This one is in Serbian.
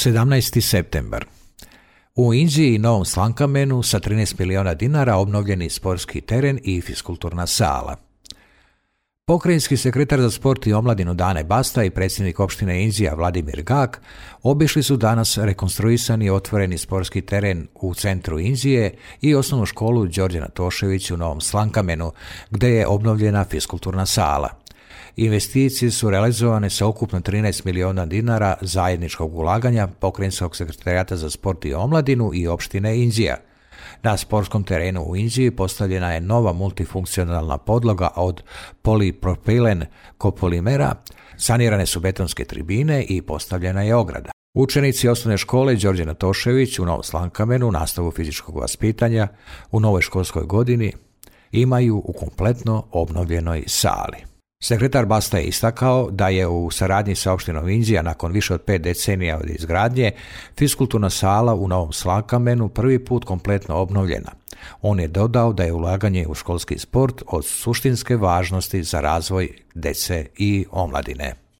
17. septembar. U Inđiji i Novom Slankamenu sa 13 miliona dinara obnovljeni sportski teren i fiskulturna sala. Pokrajinski sekretar za sport i omladinu Dane Basta i predsjednik opštine Inđija Vladimir Gak obišli su danas rekonstruisani i otvoreni sportski teren u centru Inđije i osnovnu školu Đorđe Natošević u Novom Slankamenu, gde je obnovljena fiskulturna sala. Investicije su realizovane sa ukupno 13 miliona dinara zajedničkog ulaganja Pokrajinskog sekretarijata za sport i omladinu i opštine Inđija. Na sportskom terenu u Inđiji postavljena je nova multifunkcionalna podloga od polipropilen kopolimera, sanirane su betonske tribine i postavljena je ograda. Učenici osnovne škole Đorđe Natošević u Novom Slankamenu nastavu fizičkog vaspitanja u novoj školskoj godini imaju u kompletno obnovljenoj sali. Sekretar Basta je istakao da je u saradnji sa opštinom Inđija nakon više od 5 decenija od izgradnje fiskulturna sala u Novom Slankamenu prvi put kompletno obnovljena. On je dodao da je ulaganje u školski sport od suštinske važnosti za razvoj dece i omladine.